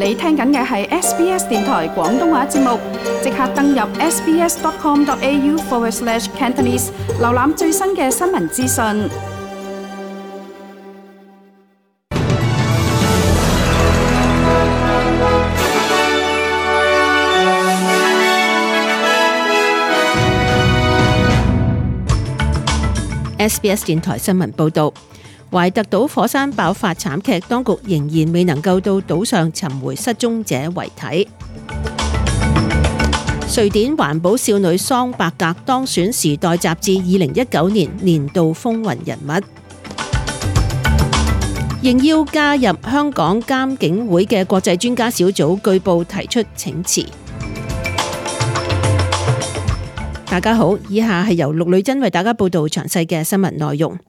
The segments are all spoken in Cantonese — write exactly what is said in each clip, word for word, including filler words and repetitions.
你聽緊嘅係 S B S 電台廣東話節目，即刻登入 sbs.com.au forward slash Cantonese， 瀏覽最新嘅新聞資訊。S B S 電台新聞報導，懷特島火山爆發慘劇，當局仍然未能夠到島上尋回失蹤者遺體。瑞典環保少女桑伯格當選《時代》雜誌二零一九年年度風雲人物。應邀加入香港監警會嘅國際專家小組據報提出請辭。大家好，以下係由陸女珍為大家報道詳細嘅新聞內容。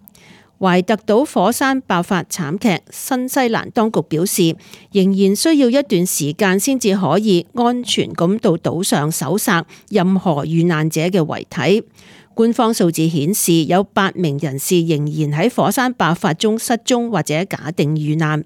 懷特島火山爆發慘劇，新西蘭當局表示，仍然需要一段時間先至可以安全咁到島上搜索任何遇難者嘅遺體。官方數字顯示，有八名人士仍然喺火山爆發中失蹤或者假定遇難。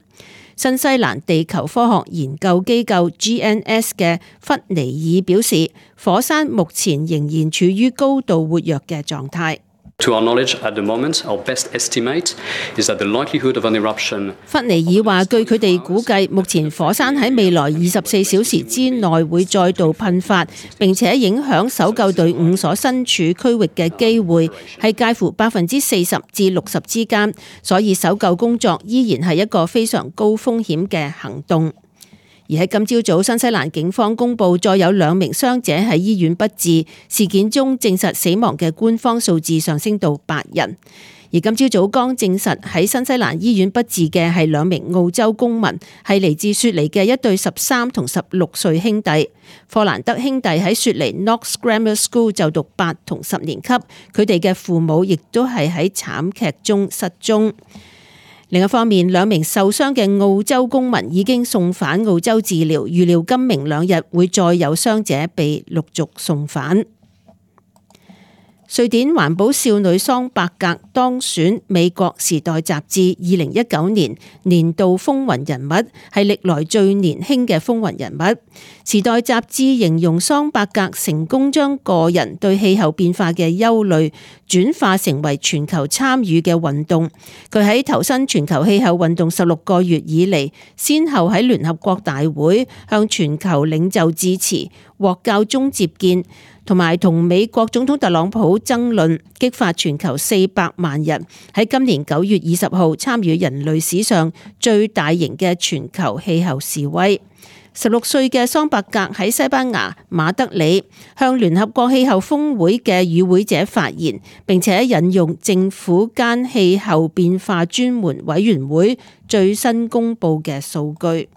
新西蘭地球科學研究機構 G N S 嘅弗尼爾表示，火山目前仍然處於高度活躍嘅狀態。To our knowledge, at the moment, our best estimate is that the likelihood of an eruption. 弗尼爾話，據佢哋估計，目前火山喺未來二十四小時之內會再度噴發，並且影響搜救隊伍所身處區域嘅機會係介乎百分之四十至六十之間，所以搜救工作依然係一個非常高風險嘅行動。而喺今朝早，新西蘭警方公布再有兩名傷者喺醫院不治，事件中證實死亡嘅官方數字上升到八人。而今朝早剛證實喺新西蘭醫院不治嘅係兩名澳洲公民，係嚟自雪梨嘅一對十三同十六歲兄弟。霍蘭德兄弟喺雪梨 Knox Grammar School 就讀八同十年級，佢哋嘅父母亦都係喺慘劇中失蹤。另一方面，兩名受傷嘅澳洲公民已經送返澳洲治療，預料今明兩日會再有傷者被陸續送返。瑞典環保少女桑伯格當選美國時代雜誌二零一九年年度風雲人物，係歷來最年輕嘅風雲人物。時代雜誌形容桑伯格成功將個人對氣候變化嘅憂慮轉化成為全球參與嘅運動。佢喺投身全球氣候運動十六個月以嚟，先後喺聯合國大會向全球領袖致辭，獲教宗接見，同埋同美國總統特朗普爭論，激發全球四百萬人喺今年九月二十號參與人類史上最大型嘅全球氣候示威。十六歲嘅桑伯格喺西班牙馬德里向聯合國氣候峰會嘅與會者發言，並且引用政府間氣候變化專門委員會最新公布嘅數據。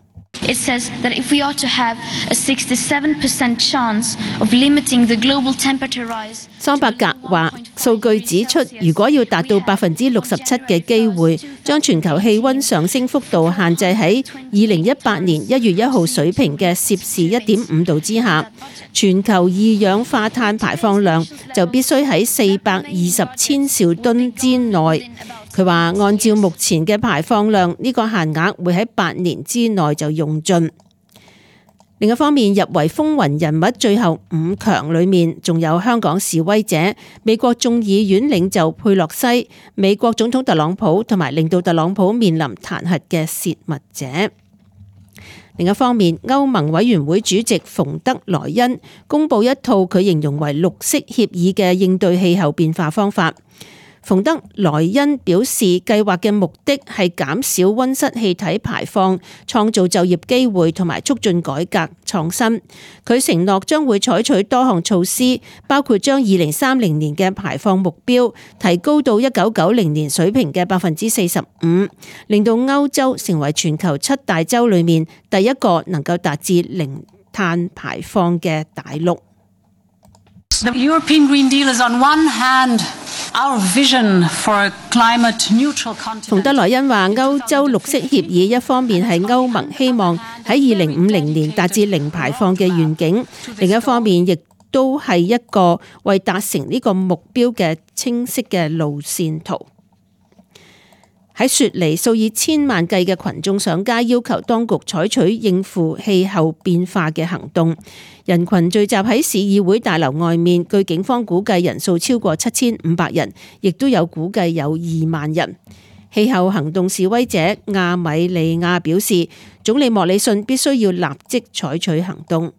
It says that if we ought to have a sixty-seven percent chance of limiting the global temperature rise。桑伯格話，數據指出，如果要達到百分之六十七嘅機會，將全球氣溫上升幅度限制喺二零一八年一月一號水平嘅攝氏一點五度之下，全球二氧化碳排放量就必須喺四百二十千兆噸之內。佢話按照目前嘅排放量，呢個限額會喺八年之內就用盡。另一方面，入圍風雲人物最後五強裏面，仲有香港示威者、美國眾議院領袖佩洛西、美國總統特朗普同埋令到特朗普面臨彈劾嘅洩密者。另一方面，歐盟委員會主席馮德萊恩公布一套佢形容為綠色協議嘅應對氣候變化方法。馮德萊恩表示，計劃嘅目的係減少溫室氣體排放、創造就業機會同埋促進改革創新。佢承諾將會採取多項措施，包括將二零三零年嘅排放目標提高到一九九零年水平嘅百分之四十五，令到歐洲成為全球七大洲裏面第一個能夠達至零碳排放嘅大陸。The European Green Deal is on one hand our vision for a climate neutral continent。馮德萊恩話，歐洲綠色協議一方面係歐盟希望喺二零五零年達至零排放嘅願景，另一方面亦都係一個為達成呢個目標嘅清晰嘅路線圖。喺雪梨，數以千萬計嘅群眾上街要求當局採取應付氣候變化嘅行動。人群聚集喺市議會大樓外面，據警方估計人數超過七千五百人，亦都有估計有二萬人。氣候行動示威者亞米利亞表示，總理莫里遜必須要立即採取行動。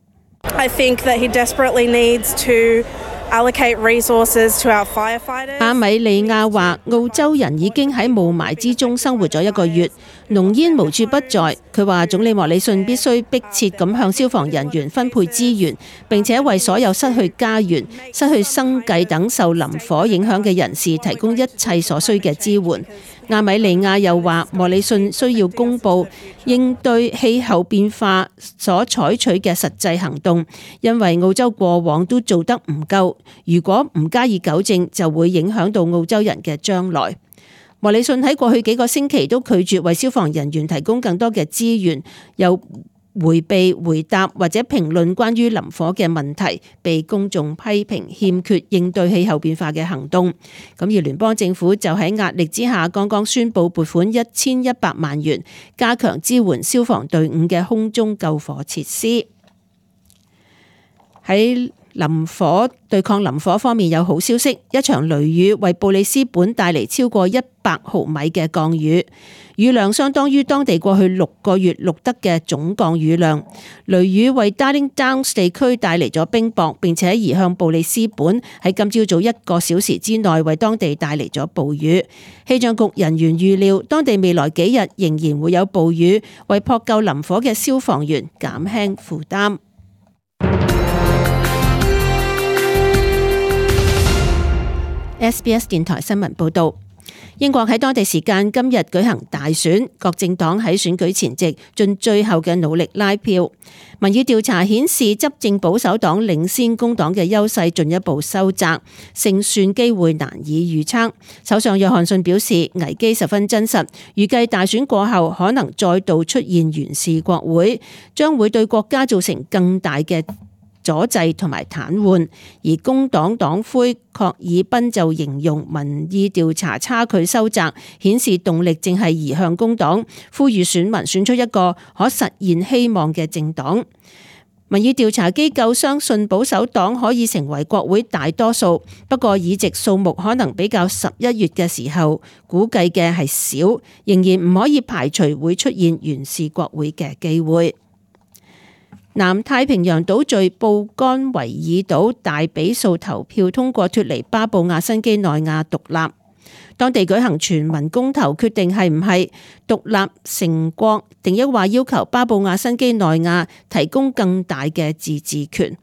I think that he desperately needs to allocate resources to our firefighters. 亞米利亞話，澳洲人已經喺霧霾之中生活咗一個月，濃煙無處不在。佢話總理莫里遜必須迫切咁向消防人員分配資源，並且為所有失去家園、失去生計等受林火影響嘅人士提供一切所需嘅支援。亞米利亞又話，莫里遜需要公布應對氣候變化所採取嘅實際行動，因為澳洲過往都做得唔夠，如果唔加以糾正，就會影響到澳洲人嘅將來。莫里遜喺過去幾個星期都拒絕為消防人員提供更多嘅資源，又迴避回答或者評論關於林火嘅問題，被公眾批評欠缺應對氣候變化嘅行動。咁而聯邦政府就喺壓力之下，剛剛宣布撥款一千一百萬元，加強支援消防隊伍嘅空中救火設施。喺林火對抗林火方面有好消息，一場雷雨為布里斯本帶嚟超過一百毫米嘅降雨，雨量相當於當地過去六個月錄得嘅總降雨量。雷雨為 Darling Downs 地區帶嚟咗冰雹，並且移向布里斯本，喺今朝早一個小時之內為當地帶嚟咗暴雨。氣象局人員預料，當地未來幾日仍然會有暴雨，為撲救林火嘅消防員減輕負擔。S B S 電台新聞報道，英國喺當地時間今日舉行大選，各政黨喺選舉前夕盡最後嘅努力拉票。民意調查顯示，執政保守黨領先工黨嘅優勢進一步收窄，勝算機會難以預測。首相約翰遜表示，危機十分真實，預計大選過後可能再度出現懸峙國會，將會對國家造成更大嘅阻滯同埋癱瘓。而工黨黨魁郝爾賓就形容民意調查差距收窄，顯示動力正係移向工黨，呼籲選民選出一個可實現希望嘅政黨。民意調查機構相信保守黨可以成為國會大多數，不過議席數目可能比較十一月嘅時候估計嘅係少，仍然唔可以排除會出現懸峙國會嘅機會。南太平洋島嶼布干維爾島大比數投票通過脫離巴布亞新畿內亞獨立，當地舉行全民公投，決定係唔係獨立成國，定抑或要求巴布亞新畿內亞提供更大嘅自治權。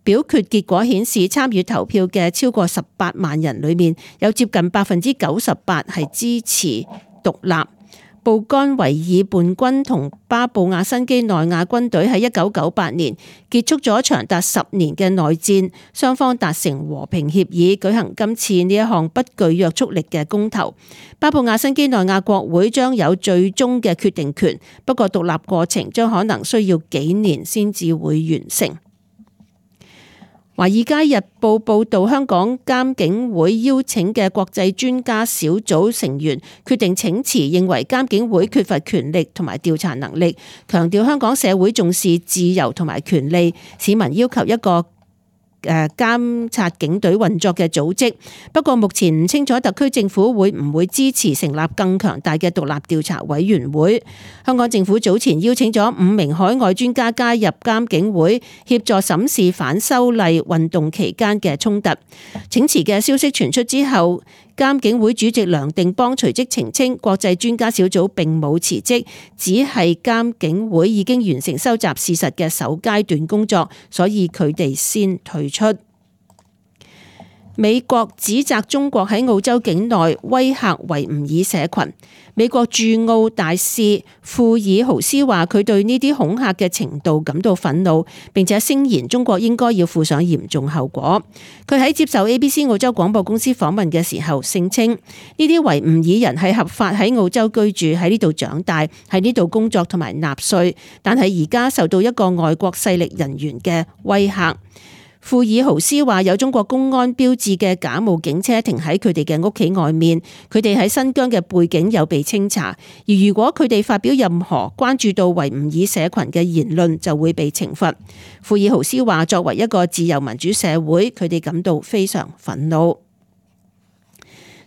表決結果顯示，參與投票嘅超過十八萬人裏面，有接近百分之九十八係支持獨立。布干維爾叛軍同巴布亞新畿內亞軍隊喺一九九八年結束咗長達十年嘅內戰，雙方達成和平協議，舉行今次呢一項不具約束力嘅公投。巴布亞新畿內亞國會將有最終嘅決定權，不過獨立過程將可能需要幾年先至會完成。《華爾街日報》報道，香港監警會邀請嘅國際專家小組成員決定請辭，認為監警會缺乏權力同埋調查能力，強調香港社會重視自由同埋權利，市民要求一個誒監察警隊運作嘅組織。不過目前唔清楚特區政府會唔會支持成立更強大嘅獨立調查委員會。香港政府早前邀請咗五名海外專家加入監警會，協助審視反修例運動期間嘅衝突。請辭嘅消息傳出之後，監警會主席梁定邦隨即澄清，國際專家小組並冇辭職，只係監警會已經完成收集事實嘅首階段工作，所以佢哋先退出。美國指責中國喺澳洲境內威嚇維吾爾社群。美國駐澳大使庫爾豪斯話，佢對呢啲恐嚇嘅程度感到憤怒，並且聲言中國應該要負上嚴重後果。佢喺接受 A B C 澳洲廣播公司訪問嘅時候聲稱，呢啲維吾爾人係合法喺澳洲居住，喺呢度長大，喺呢度工作同埋納稅，但係而家受到一個外國勢力人員嘅威嚇。庫爾豪斯話有中國公安標誌嘅假冒警車停喺佢哋嘅屋企外面，佢哋喺新疆嘅背景有被清查，而如果佢哋發表任何關注到維吾爾社群嘅言論就會被懲罰。庫爾豪斯話作為一個自由民主社會，佢哋感到非常憤怒。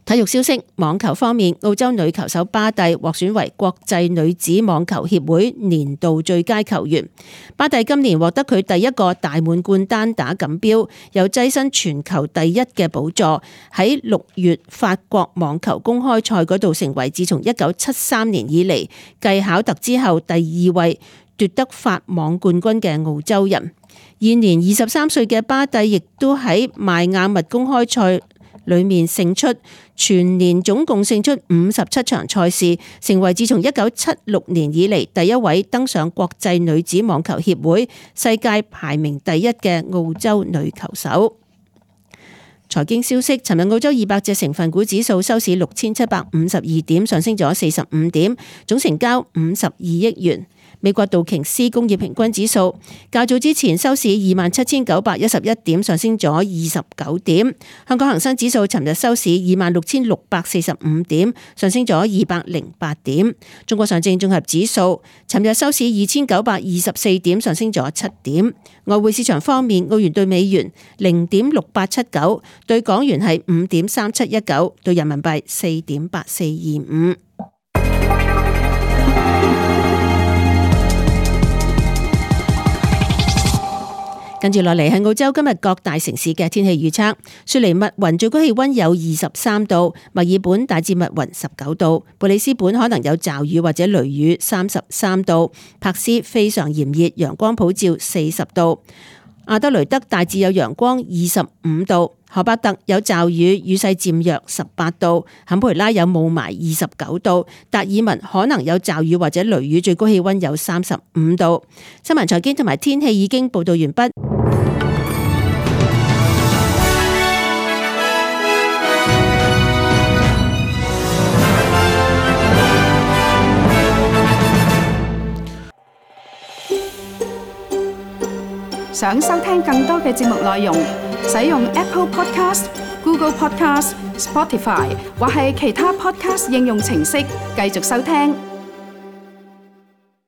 體育消息，網球方面，澳洲女球手巴蒂獲選為國際女子網球協會年度最佳球員。巴蒂今年獲得佢第一個大滿貫單打錦標，又躋身全球第一嘅寶座。喺六月法國網球公開賽嗰度，成為自從一九七三年以嚟繼考特之後第二位奪得法網冠軍嘅澳洲人。現年二十三歲嘅巴蒂亦都喺邁阿密公開賽裏面勝出，全年總共勝出五十七場賽事，成為自從一九七六年以嚟第一位登上國際女子網球協會世界排名第一嘅澳洲女球手。財經消息，尋日澳洲二百隻成分股指數收市六千七百五十二點，上升咗四十五點，總成交五十二億元。美國道瓊斯工業平均指數較早之前收市二萬七千九百一十一點，上升咗二十九點。香港恒生指數尋日收市二萬六千六百四十五點，上升咗二百零八點。中國上證綜合指數尋日收市二千九百二十四點，上升咗七點。外匯市場方面，澳元對美元零點六八七九，對港元係五點三七一九，對人民幣四點八四二五。跟住落嚟係澳洲今日各大城市嘅天氣預測。雪梨密雲最高氣溫有二十三度，墨爾本大致密雲十九度，布里斯本可能有驟雨或者雷雨三十三度，柏斯非常炎熱，陽光普照四十度，阿德雷德大致有陽光二十五度，荷伯特有驟雨，雨勢漸弱十八度，坎培拉有霧霾二十九度，達爾文可能有驟雨或者雷雨，最高氣溫有三十五度。新聞財經同埋天氣已經報道完畢。想收聽更多嘅節目內容，使用 Apple Podcast、Google Podcast、Spotify 或係其他 Podcast 應用程式繼續收聽。